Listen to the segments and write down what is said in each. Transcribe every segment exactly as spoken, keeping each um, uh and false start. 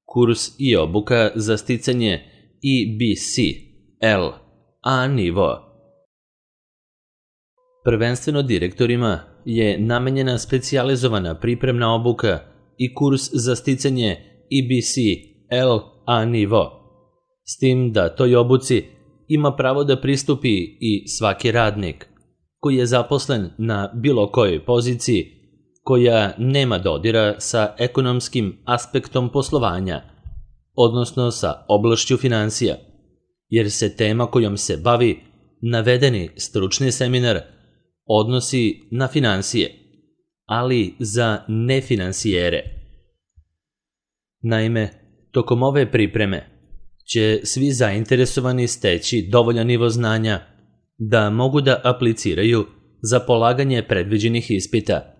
kurs i obuka za sticanje E B C L A nivo. Prvenstveno direktorima je namenjena specijalizovana pripremna obuka i kurs za sticanje E B C L A nivo, s tim da toj obuci ima pravo da pristupi i svaki radnik koji je zaposlen na bilo kojoj poziciji koja nema dodira sa ekonomskim aspektom poslovanja, odnosno sa oblašću finansija, jer se tema kojom se bavi navedeni stručni seminar odnosi na finansije, ali za nefinansijere. Naime, tokom ove pripreme će svi zainteresovani steći dovoljan nivo znanja da mogu da apliciraju za polaganje predviđenih ispita,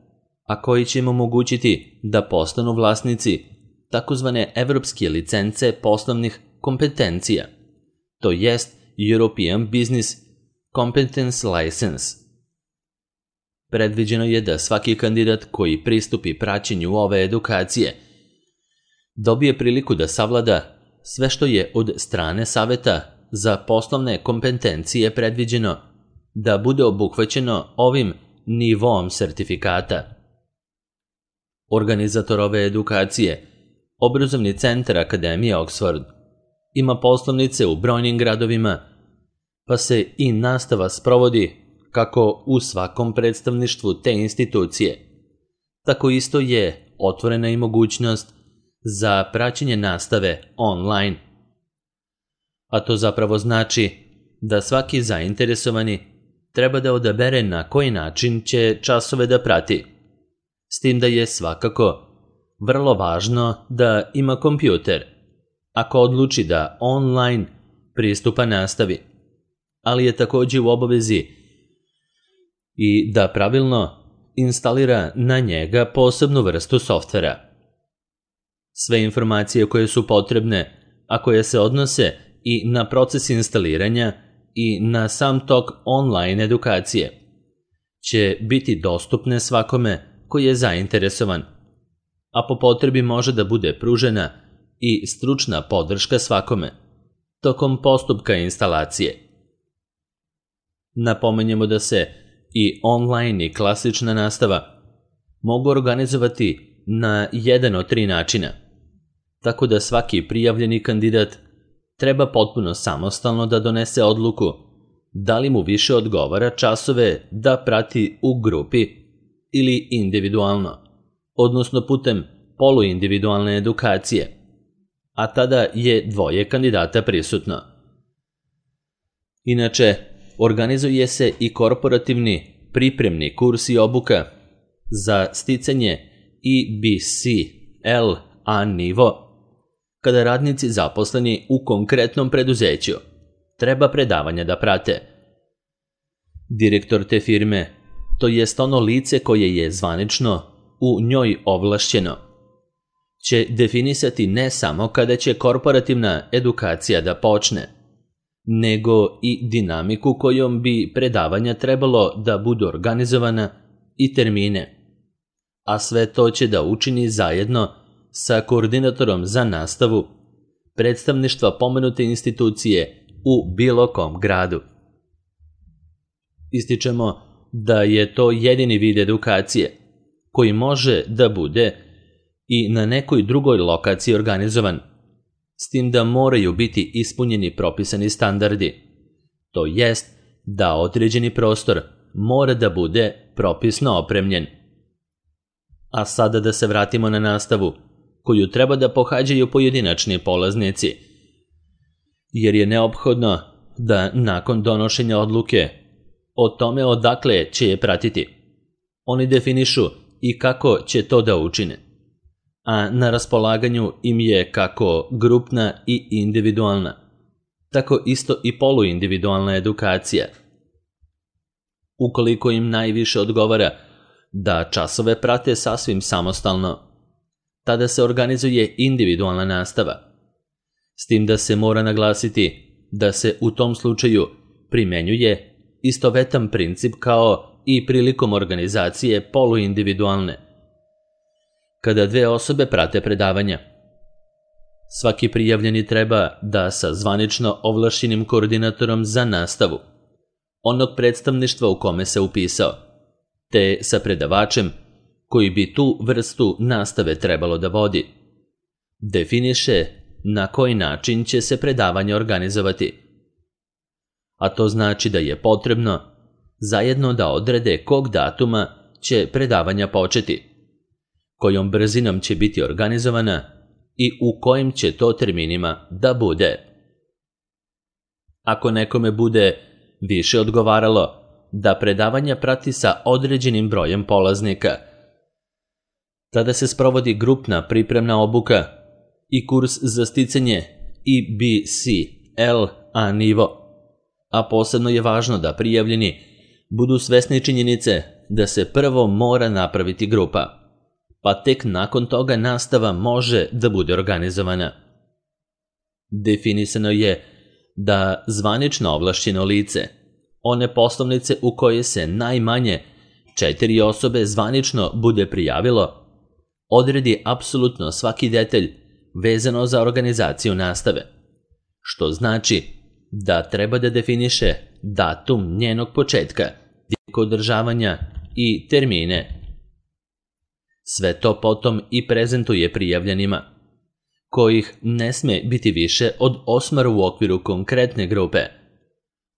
a koji će im omogućiti da postanu vlasnici takozvane evropske licence poslovnih kompetencija, to jest European Business Competence License. Predviđeno je da svaki kandidat koji pristupi praćenju ove edukacije dobije priliku da savlada sve što je od strane Saveta za poslovne kompetencije predviđeno da bude obuhvaćeno ovim nivom sertifikata. Organizator ove edukacije, Obrazovni centar Akademije Oxford, ima poslovnice u brojnim gradovima, pa se i nastava sprovodi kako u svakom predstavništvu te institucije. Tako isto je otvorena i mogućnost za praćenje nastave online. A to zapravo znači da svaki zainteresovani treba da odabere na koji način će časove da prati, s tim da je svakako vrlo važno da ima kompjuter, ako odluči da online pristupa nastavi, ali je također u obavezi i da pravilno instalira na njega posebnu vrstu softvera. Sve informacije koje su potrebne, a koje se odnose i na proces instaliranja i na sam tok online edukacije, će biti dostupne svakome koji je zainteresovan, a po potrebi može da bude pružena i stručna podrška svakome tokom postupka instalacije. Napomenjemo da se i online i klasična nastava mogu organizovati na jedan od tri načina, tako da svaki prijavljeni kandidat treba potpuno samostalno da donese odluku da li mu više odgovara časove da prati u grupi ili individualno, odnosno putem poluindividualne edukacije, a tada je dvoje kandidata prisutno. Inače, organizuje se i korporativni pripremni kurs i obuka za sticanje E B C L A nivo, kada radnici zaposleni u konkretnom preduzeću treba predavanja da prate. Direktor te firme, to jest ono lice koje je zvanično u njoj ovlašćeno, će definisati ne samo kada će korporativna edukacija da počne, nego i dinamiku kojom bi predavanja trebalo da budu organizovana i termine, a sve to će da učini zajedno sa koordinatorom za nastavu predstavništva pomenute institucije u bilo kom gradu. Ističemo da je to jedini vid edukacije koji može da bude i na nekoj drugoj lokaciji organizovan, s tim da moraju biti ispunjeni propisani standardi, to jest da određeni prostor mora da bude propisno opremljen. A sada da se vratimo na nastavu koju treba da pohađaju pojedinačni polaznici, jer je neophodno da nakon donošenja odluke o tome odakle će je pratiti, oni definišu i kako će to da učine, a na raspolaganju im je kako grupna i individualna, tako isto i poluindividualna edukacija. Ukoliko im najviše odgovara da časove prate sasvim samostalno, tada se organizuje individualna nastava, s tim da se mora naglasiti da se u tom slučaju primenjuje istovetan princip kao i prilikom organizacije poluindividualne, kada dve osobe prate predavanja. Svaki prijavljeni treba da sa zvanično ovlašćenim koordinatorom za nastavu onog predstavništva u kome se upisao, te sa predavačem koji bi tu vrstu nastave trebalo da vodi, definiše na koji način će se predavanje organizovati. A to znači da je potrebno zajedno da odrede kog datuma će predavanja početi, kojom brzinom će biti organizovana i u kojim će to terminima da bude. Ako nekome bude više odgovaralo da predavanja prati sa određenim brojem polaznika, tada se sprovodi grupna pripremna obuka i kurs za sticanje E B C L A nivo, a posebno je važno da prijavljeni budu svesni činjenice da se prvo mora napraviti grupa, pa tek nakon toga nastava može da bude organizovana. Definisano je da zvanično ovlašćeno lice, one poslovnice u koje se najmanje četiri osobe zvanično bude prijavilo, odredi apsolutno svaki detalj vezano za organizaciju nastave, što znači da treba da definiše datum njenog početka, tijek održavanja i termine. Sve to potom i prezentuje prijavljenima, kojih ne sme biti više od osmoro u okviru konkretne grupe,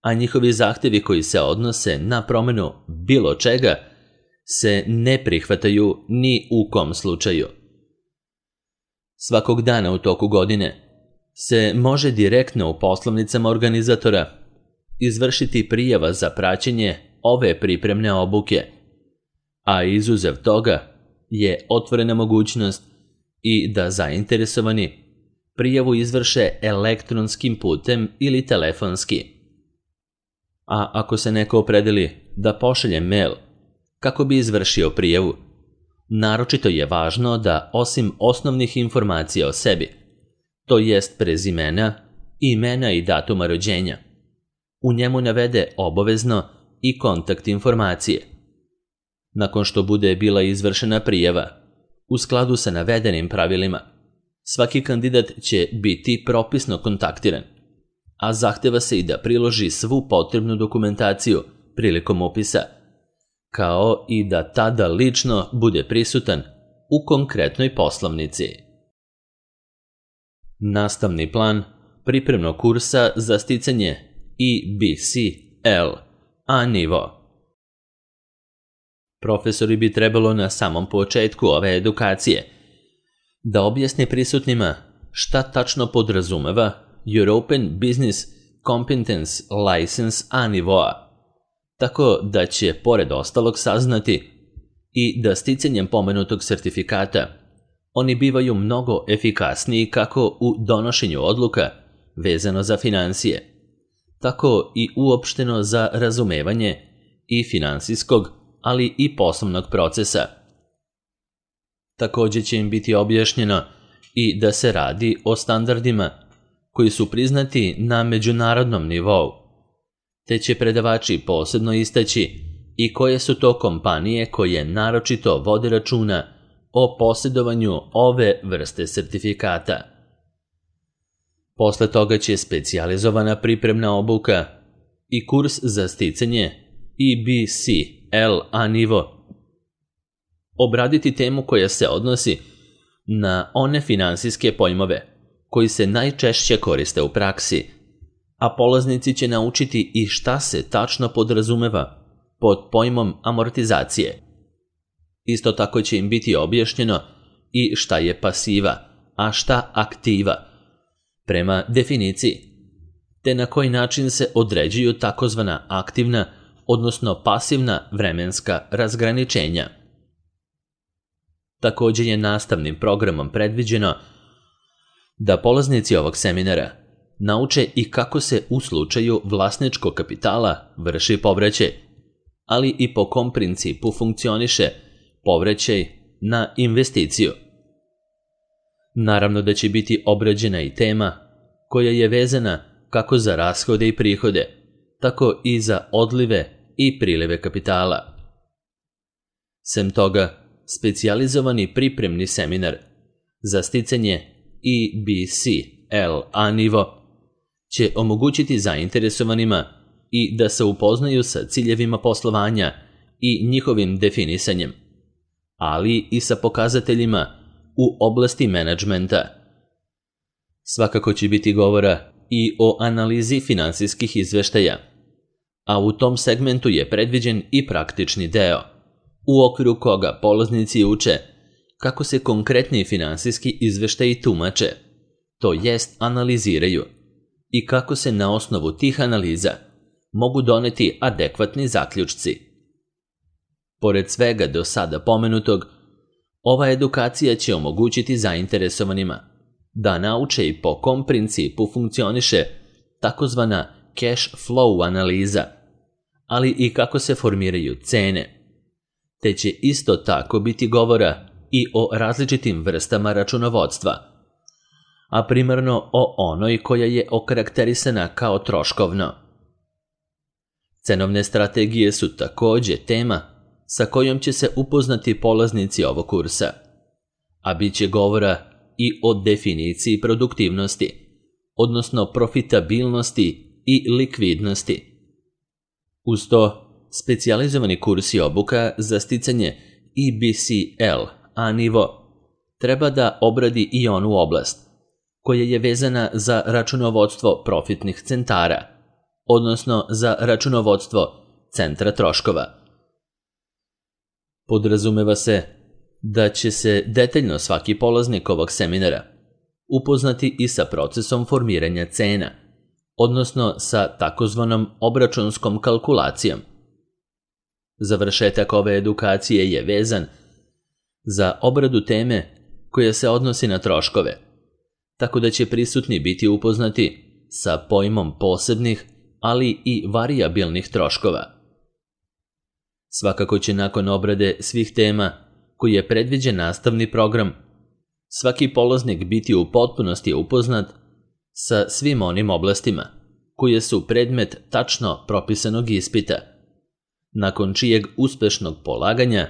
a njihovi zahtevi koji se odnose na promenu bilo čega se ne prihvataju ni u kom slučaju. Svakog dana u toku godine se može direktno u poslovnicama organizatora izvršiti prijava za praćenje ove pripremne obuke, a izuzev toga je otvorena mogućnost i da zainteresovani prijavu izvrše elektronskim putem ili telefonski. A ako se neko opredeli da pošalje mail kako bi izvršio prijavu, naročito je važno da osim osnovnih informacija o sebi, to jest prezimena, imena i datuma rođenja, u njemu navede obavezno i kontakt informacije. Nakon što bude bila izvršena prijava, u skladu sa navedenim pravilima, svaki kandidat će biti propisno kontaktiran, a zahteva se i da priloži svu potrebnu dokumentaciju prilikom upisa, kao i da tada lično bude prisutan u konkretnoj poslovnici. Nastavni plan pripremnog kursa za sticanje E B C L A nivo. Profesori bi trebalo na samom početku ove edukacije da objasne prisutnima šta tačno podrazumeva European Business Competence License A nivoa, tako da će pored ostalog saznati i da sticanjem pomenutog sertifikata oni bivaju mnogo efikasniji kako u donošenju odluka vezano za finansije, tako i uopšteno za razumevanje i finansijskog, ali i poslovnog procesa. Također će im biti objašnjeno i da se radi o standardima koji su priznati na međunarodnom nivou, te će predavači posebno istaći i koje su to kompanije koje naročito vode računa o posjedovanju ove vrste sertifikata. Posle toga će specijalizovana pripremna obuka i kurs za sticanje E B C L A nivo obraditi temu koja se odnosi na one finansijske pojmove koji se najčešće koriste u praksi, a polaznici će naučiti i šta se tačno podrazumeva pod pojmom amortizacije. Isto tako će im biti objašnjeno i šta je pasiva, a šta aktiva, prema definiciji, te na koji način se određuju takozvana aktivna, odnosno pasivna vremenska razgraničenja. Također je nastavnim programom predviđeno da polaznici ovog seminara nauče i kako se u slučaju vlasničkog kapitala vrši povraćaj, ali i po kom principu funkcioniše povraćaj na investiciju. Naravno da će biti obrađena i tema koja je vezana kako za rashode i prihode, tako i za odlive i prilive kapitala. Sem toga, specijalizovani pripremni seminar za sticanje E B C L A nivo će omogućiti zainteresovanima i da se upoznaju sa ciljevima poslovanja i njihovim definisanjem, ali i sa pokazateljima u oblasti menadžmenta. Svakako će biti govora i o analizi finansijskih izveštaja, a u tom segmentu je predviđen i praktični deo, u okviru koga polaznici uče kako se konkretni finansijski izveštaji tumače, to jest analiziraju, i kako se na osnovu tih analiza mogu doneti adekvatni zaključci. Pored svega do sada pomenutog, ova edukacija će omogućiti zainteresovanima da nauče i po kom principu funkcioniše takozvana cash flow analiza, ali i kako se formiraju cene, te će isto tako biti govora i o različitim vrstama računovodstva, a primarno o onoj koja je okarakterisana kao troškovno. Cenovne strategije su takođe tema sa kojom će se upoznati polaznici ovog kursa, a bit će govora i o definiciji produktivnosti, odnosno profitabilnosti i likvidnosti. Uz to, specijalizovani kurs i obuka za sticanje E B C L A nivo treba da obradi i onu oblast koja je vezana za računovodstvo profitnih centara, odnosno za računovodstvo centra troškova. Podrazumeva se da će se detaljno svaki polaznik ovog seminara upoznati i sa procesom formiranja cena, odnosno sa takozvanom obračunskom kalkulacijom. Završetak ove edukacije je vezan za obradu teme koja se odnosi na troškove, tako da će prisutni biti upoznati sa pojmom posebnih, ali i varijabilnih troškova. Svakako će nakon obrade svih tema koji je predviđen nastavni program, svaki polaznik biti u potpunosti upoznat sa svim onim oblastima koje su predmet tačno propisanog ispita, nakon čijeg uspešnog polaganja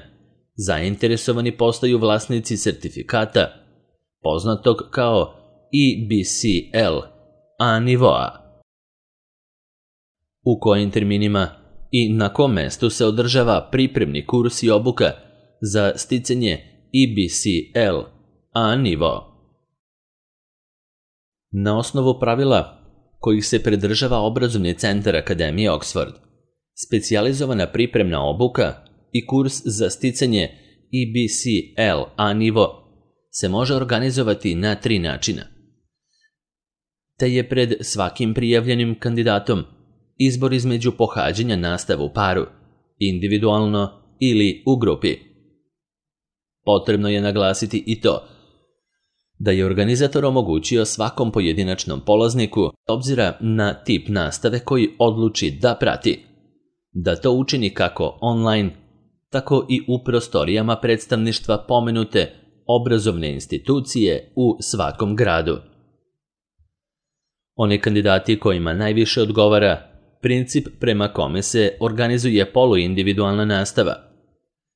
zainteresovani postaju vlasnici sertifikata, poznatog kao E B C L A nivoa. U kojim terminima i na kom mestu se održava pripremni kurs i obuka za sticanje E B C L A nivo. Na osnovu pravila kojih se pridržava obrazovni centar Akademije Oxford, specijalizovana pripremna obuka i kurs za sticanje E B C L A nivo se može organizovati na tri načina, te je pred svakim prijavljenim kandidatom izbor između pohađanja nastave u paru, individualno ili u grupi. Potrebno je naglasiti i to da je organizator omogućio svakom pojedinačnom polazniku, obzira na tip nastave koji odluči da prati, da to učini kako online, tako i u prostorijama predstavništva pomenute obrazovne institucije u svakom gradu. Oni kandidati kojima najviše odgovara princip prema kome se organizuje poluindividualna nastava,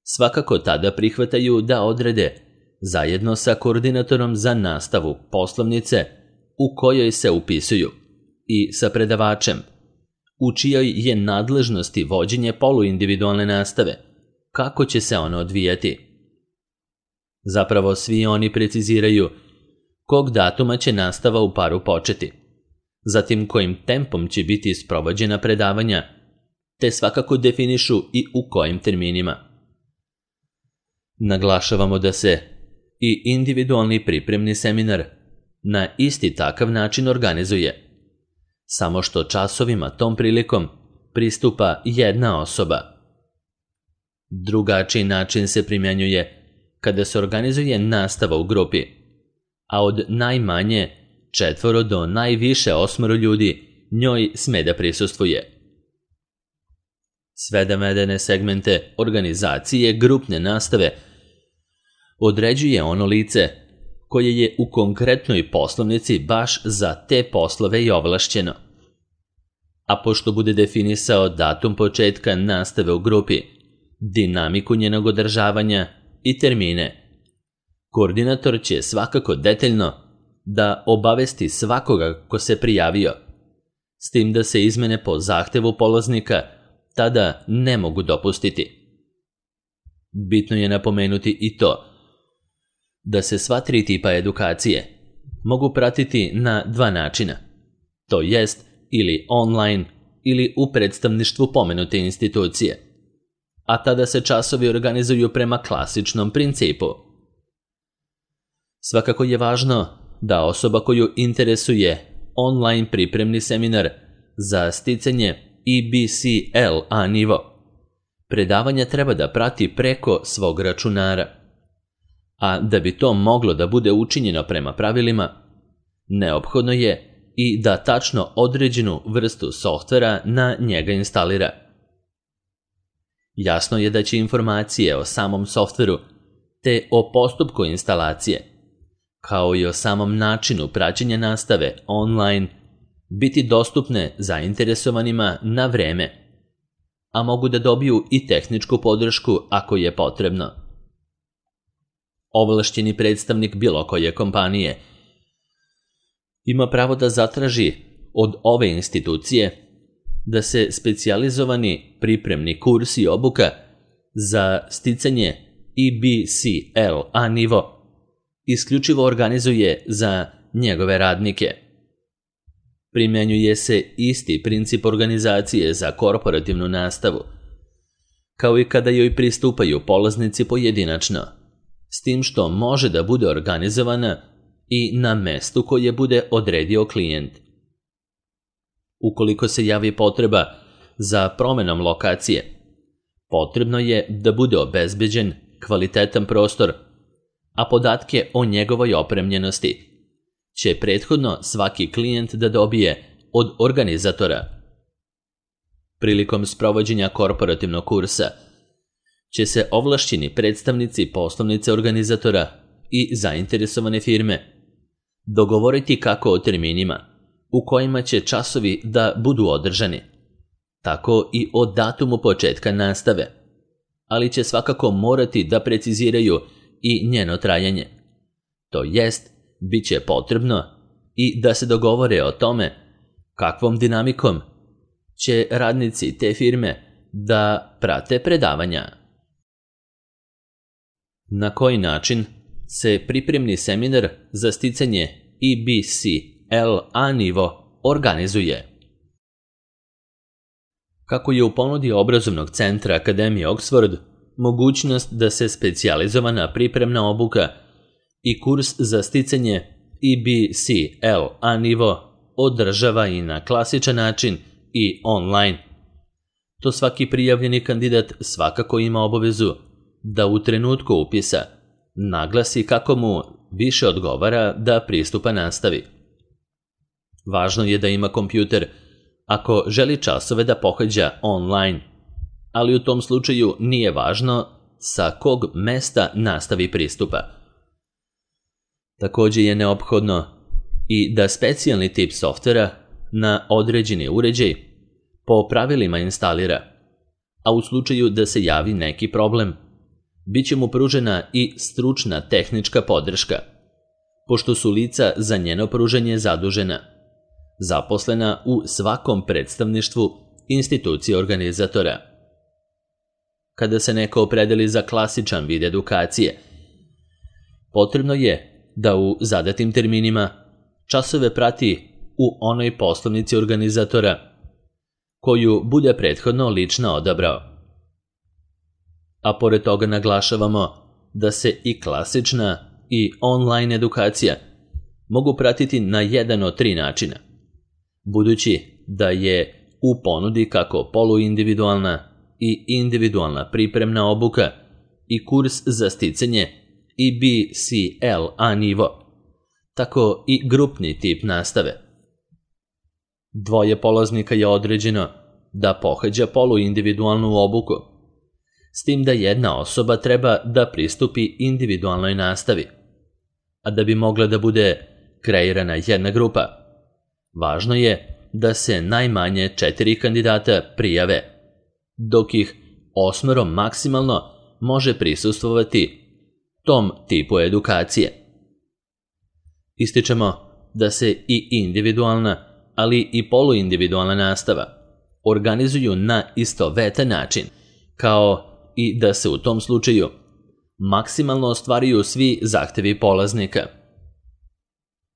svakako tada prihvataju da odrede, zajedno sa koordinatorom za nastavu poslovnice u kojoj se upisuju i sa predavačem, u čijoj je nadležnosti vođenje poluindividualne nastave, kako će se ono odvijati. Zapravo svi oni preciziraju kog datuma će nastava u paru početi, zatim kojim tempom će biti sprovođena predavanja, te svakako definišu i u kojim terminima. Naglašavamo da se i individualni pripremni seminar na isti takav način organizuje, samo što časovima tom prilikom pristupa jedna osoba. Drugačiji način se primjenjuje kada se organizuje nastava u grupi, a od najmanje četvoro do najviše osmoro ljudi njoj sme da prisustvuje. Sve navedene segmente organizacije grupne nastave određuje ono lice koje je u konkretnoj poslovnici baš za te poslove i ovlašćeno. A pošto bude definisao datum početka nastave u grupi, dinamiku njenog održavanja i termine, koordinator će svakako detaljno da obavesti svakoga ko se prijavio, s tim da se izmene po zahtevu polaznika tada ne mogu dopustiti. Bitno je napomenuti i to da se sva tri tipa edukacije mogu pratiti na dva načina, to jest ili online ili u predstavništvu pomenute institucije, a tada se časovi organizuju prema klasičnom principu. Svakako je važno da osoba koju interesuje online pripremni seminar za sticanje E B C L A nivo predavanja treba da prati preko svog računara, a da bi to moglo da bude učinjeno prema pravilima, neophodno je i da tačno određenu vrstu softvera na njega instalira. Jasno je da će informacije o samom softveru te o postupku instalacije, kao i o samom načinu praćenja nastave online, biti dostupne zainteresovanima na vreme, a mogu da dobiju i tehničku podršku ako je potrebno. Ovlašćeni predstavnik bilo koje kompanije ima pravo da zatraži od ove institucije da se specijalizovani pripremni kurs i obuka za sticanje E B C L A nivo isključivo organizuje za njegove radnike. Primjenjuje se isti princip organizacije za korporativnu nastavu, kao i kada joj pristupaju polaznici pojedinačno, s tim što može da bude organizovana i na mestu koje bude odredio klijent. Ukoliko se javi potreba za promenom lokacije, potrebno je da bude obezbeđen kvalitetan prostor, a podatke o njegovoj opremljenosti će prethodno svaki klijent da dobije od organizatora. Prilikom sprovođenja korporativnog kursa će se ovlašćeni predstavnici poslovnice organizatora i zainteresovane firme dogovoriti kako o terminima u kojima će časovi da budu održani, tako i o datumu početka nastave, ali će svakako morati da preciziraju i njeno trajanje. To jest, bit će potrebno i da se dogovore o tome kakvom dinamikom će radnici te firme da prate predavanja. Na koji način se pripremni seminar za sticanje E B C L A nivo organizuje? Kako je u ponudi obrazovnog centra Akademije Oxford mogućnost da se specijalizovana pripremna obuka i kurs za sticanje E B C L A nivo održava i na klasičan način i online. To svaki prijavljeni kandidat svakako ima obavezu da u trenutku upisa naglasi kako mu više odgovara da pristupa nastavi. Važno je da ima kompjuter ako želi časove da pohađa online, ali u tom slučaju nije važno sa kog mesta nastavi pristupa. Također je neophodno i da specijalni tip softvera na određeni uređaj po pravilima instalira, a u slučaju da se javi neki problem, bit će mu pružena i stručna tehnička podrška, pošto su lica za njeno pružanje zadužena, zaposlena u svakom predstavništvu institucije organizatora. Kada se neko opredeli za klasičan vid edukacije, potrebno je da u zadatim terminima časove prati u onoj poslovnici organizatora koju bude prethodno lično odabrao. A pored toga naglašavamo da se i klasična i online edukacija mogu pratiti na jedan od tri načina, budući da je u ponudi kako poluindividualna i individualna pripremna obuka i kurs za sticanje E B C L A nivo, tako i grupni tip nastave. Dvoje polaznika je određeno da pohađa poluindividualnu obuku, s tim da jedna osoba treba da pristupi individualnoj nastavi, a da bi mogla da bude kreirana jedna grupa, važno je da se najmanje četiri kandidata prijave, dok ih osmero maksimalno može prisustvovati tom tipu edukacije. Ističemo da se i individualna, ali i poluindividualna nastava organizuju na istovetan način, kao i da se u tom slučaju maksimalno ostvaruju svi zahtevi polaznika.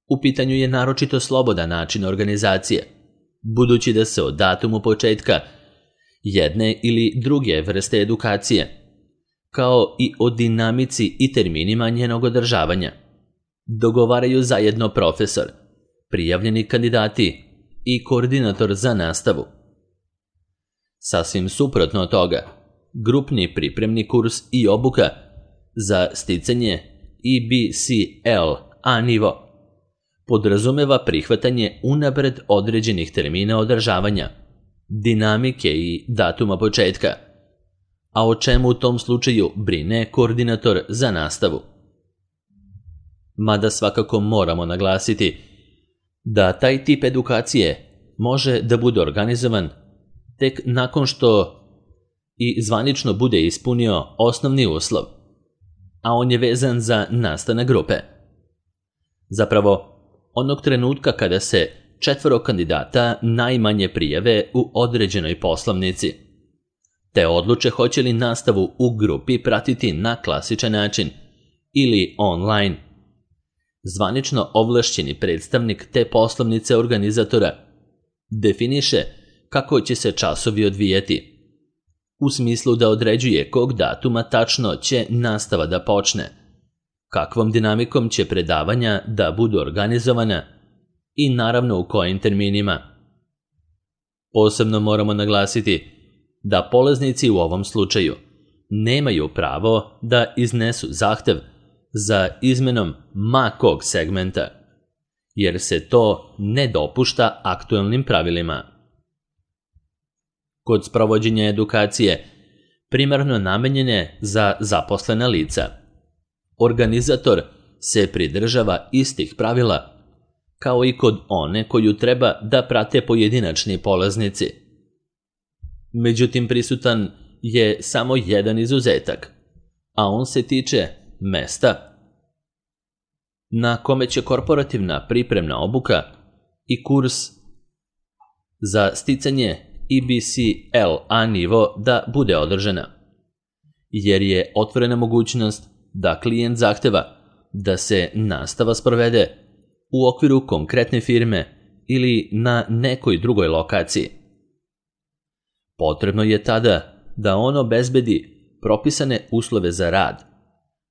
U pitanju je naročito slobodan način organizacije, budući da se o datumu početka jedne ili druge vrste edukacije, kao i o dinamici i terminima njenog održavanja, dogovaraju zajedno profesor, prijavljeni kandidati i koordinator za nastavu. Sasvim suprotno od toga, grupni pripremni kurs i obuka za sticanje E B C L A nivo podrazumeva prihvatanje unapred određenih termina održavanja, dinamike i datuma početka, a o čemu u tom slučaju brine koordinator za nastavu. Mada svakako moramo naglasiti da taj tip edukacije može da bude organizovan tek nakon što i zvanično bude ispunio osnovni uslov, a on je vezan za nastanak grupe. Zapravo, onog trenutka kada se četvoro kandidata najmanje prijave u određenoj poslovnici, te odluče hoće li nastavu u grupi pratiti na klasičan način ili online. Zvanično ovlašćeni predstavnik te poslovnice organizatora definiše kako će se časovi odvijati, u smislu da određuje kog datuma tačno će nastava da počne, kakvom dinamikom će predavanja da budu organizovana i naravno u kojim terminima. Posebno moramo naglasiti da polaznici u ovom slučaju nemaju pravo da iznesu zahtev za izmenom ma kog segmenta, jer se to ne dopušta aktuelnim pravilima. Kod sprovođenja edukacije, primarno namenjene za zaposlena lica, organizator se pridržava istih pravila kao i kod one koju treba da prate pojedinačni polaznici. Međutim, prisutan je samo jedan izuzetak, a on se tiče mesta na kome će korporativna pripremna obuka i kurs za sticanje E B C L A nivo da bude održana, jer je otvorena mogućnost da klijent zahteva da se nastava sprovede u okviru konkretne firme ili na nekoj drugoj lokaciji. Potrebno je tada da on obezbedi propisane uslove za rad,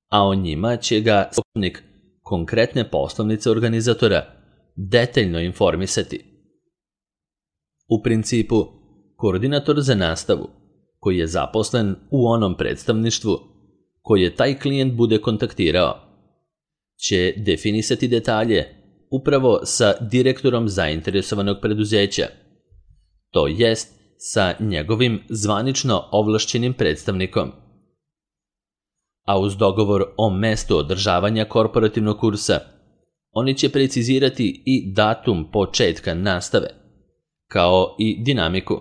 a o njima će ga zastupnik konkretne poslovnice organizatora detaljno informisati. U principu, koordinator za nastavu, koji je zaposlen u onom predstavništvu koje taj klijent bude kontaktirao, će definisati detalje upravo sa direktorom zainteresovanog preduzeća, to jest sa njegovim zvanično ovlašćenim predstavnikom. A uz dogovor o mestu održavanja korporativnog kursa, oni će precizirati i datum početka nastave, kao i dinamiku,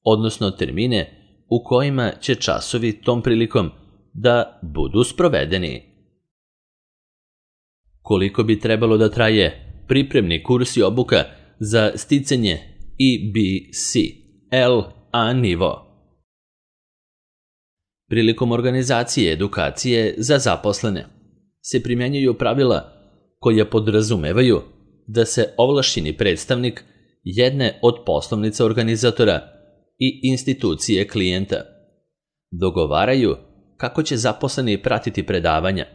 odnosno termine u kojima će časovi tom prilikom da budu sprovedeni. Koliko bi trebalo da traje pripremni kurs i obuka za sticanje E B C L A nivo? Prilikom organizacije edukacije za zaposlene se primjenjuju pravila koja podrazumevaju da se ovlašćeni predstavnik jedne od poslovnica organizatora i institucije klijenta dogovaraju kako će zaposleni pratiti predavanja,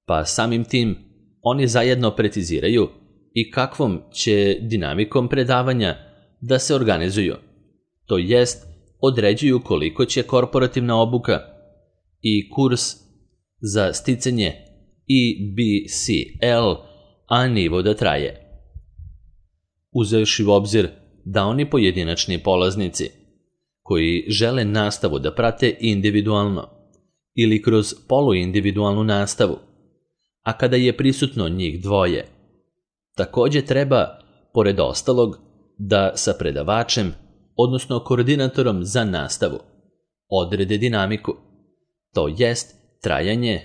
pa samim tim oni zajedno preciziraju i kakvom će dinamikom predavanja da se organizuju, to jest određuju koliko će korporativna obuka i kurs za sticanje E B C L A nivo da traje. Uzevši u obzir da oni pojedinačni polaznici koji žele nastavu da prate individualno ili kroz poluindividualnu nastavu, a kada je prisutno njih dvoje, također treba, pored ostalog, da sa predavačem, odnosno koordinatorom za nastavu, odrede dinamiku, to jest trajanje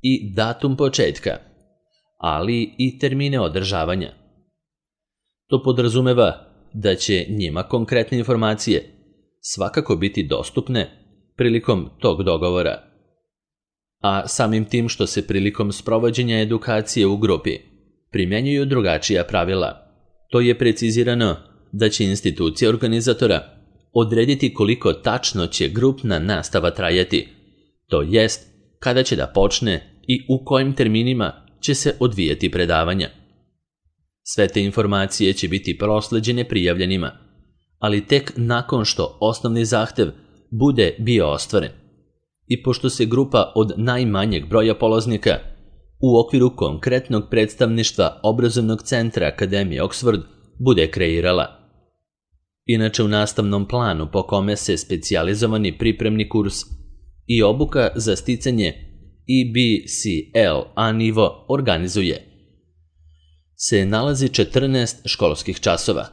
i datum početka, ali i termine održavanja. To podrazumeva da će njima konkretne informacije svakako biti dostupne prilikom tog dogovora. A samim tim što se prilikom sprovođenja edukacije u grupi primjenjuju drugačija pravila, to je precizirano da će institucija organizatora odrediti koliko tačno će grupna nastava trajati, to jest kada će da počne i u kojim terminima će se odvijati predavanja. Sve te informacije će biti prosleđene prijavljenima, ali tek nakon što osnovni zahtev bude bio ostvaren. I pošto se grupa od najmanjeg broja polaznika u okviru konkretnog predstavništva obrazovnog centra Akademije Oxford bude kreirala. Inače, u nastavnom planu po kome se specijalizovani pripremni kurs i obuka za sticanje E B C L A nivo organizuje, se nalazi četrnaest školskih časova,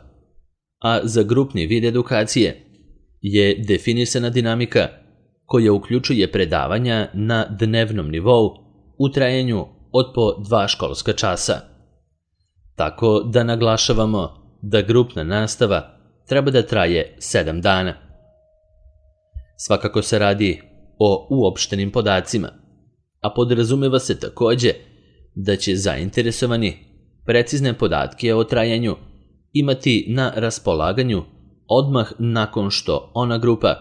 a za grupni vid edukacije je definisana dinamika koja uključuje predavanja na dnevnom nivou u trajanju od po dva školska časa. Tako da naglašavamo da grupna nastava treba da traje sedam dana. Svakako se radi o uopštenim podacima, a podrazumeva se takođe da će zainteresovani precizne podatke o trajanju imati na raspolaganju odmah nakon što ona grupa,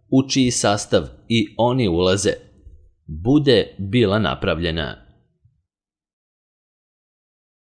u čiji sastav i oni ulaze, bude bila napravljena.